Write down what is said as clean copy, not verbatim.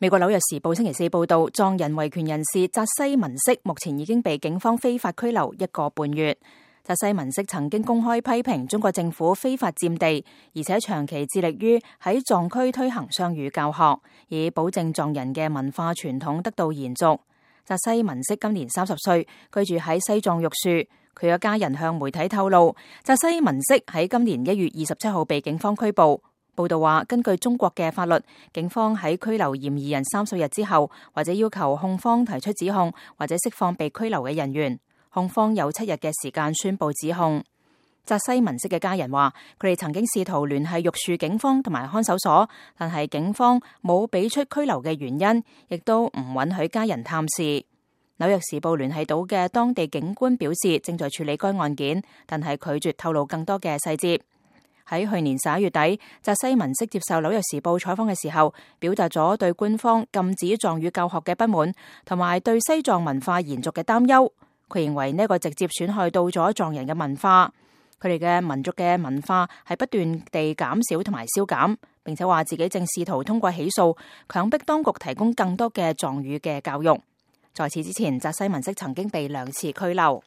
美國紐約時報星期四報道，藏人維權人士扎西文色目前已經被警方非法拘留1個半月。扎西文色曾經公開批評中國政府非法佔地，而且長期致力於喺藏區推行雙語教學，以保證藏人嘅文化傳統得到延續。扎西文色今年30歲，居住喺西藏玉樹。佢嘅家人向媒體透露，扎西文色喺今年1月27號被警方拘捕。報道話，根據中國嘅法律，警方喺拘留嫌疑人30日之後，或者要求控方提出指控，或者釋放被拘留嘅人員。控方有7日嘅時間宣布指控。扎西文色嘅家人話，佢哋曾經試圖聯繫玉樹警方同埋看守所，但係警方冇俾出拘留嘅原因，亦都唔允許家人探視。紐約時報聯繫到嘅當地警官表示，正在處理該案件，但係拒絕透露更多嘅細節。喺去年11月底，扎西文色接受紐約時報採訪嘅時候，表達咗對官方禁止藏語教學嘅不滿，同埋對西藏文化延續嘅擔憂。佢認為呢個直接損害到咗藏人嘅文化，佢哋嘅民族嘅文化係不斷地減少同埋消減，並且話自己正試圖通過起訴，強迫當局提供更多嘅藏語嘅教育。在此之前，扎西文色曾經被2次拘留。